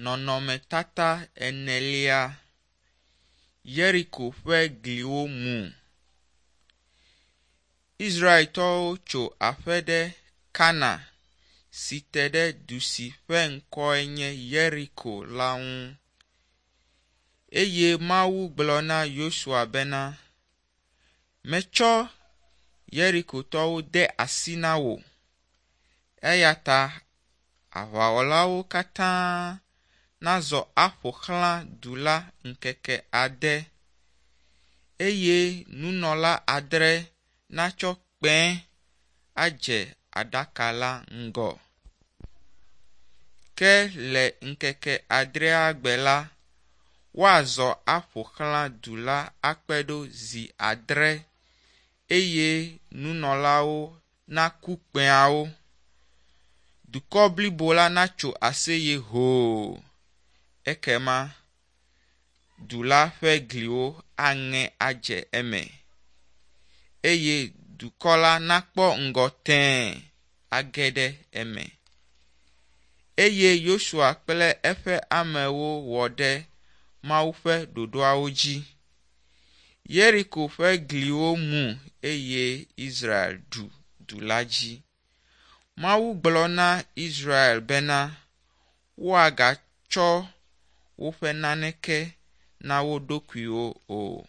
Nɔnɔmetata enelia. Yeriko ƒe gliwo mu. Israeltɔwo tso aƒe ɖe Kana si te ɖe du si ƒe ŋkɔe nye Yeriko la ŋu. Eye Mawu gblɔ na Yosua bena, “Metsɔ Yerikotɔwo de asi na wò eya ta aʋawɔlawo katã nazɔ aƒo xlã du la ŋkeke ade eye nunɔla adre natsɔ kpẽ adze aɖaka la ŋgɔ. Ke le ŋkeke adrea gbe la, woazɔ aƒo xlã du la akpe ɖo zi adre eye nunɔlawo naku kpẽawo. Dukɔ blibo la natso aseye hoo. Ekema du la ƒe gliwo aŋe adze eme eye dukɔ la nakpɔ ŋgɔ tẽe age ɖe eme. Eye Yosua kple eƒe amewo wɔ ɖe Mawu ƒe ɖoɖoawo dzi. Yeriko ƒe gliwo mu eye Israel ɖu du la dzi. Mawu gblɔ na Israel bena woagatsɔ woƒe naneke na wo ɖokuiwo o.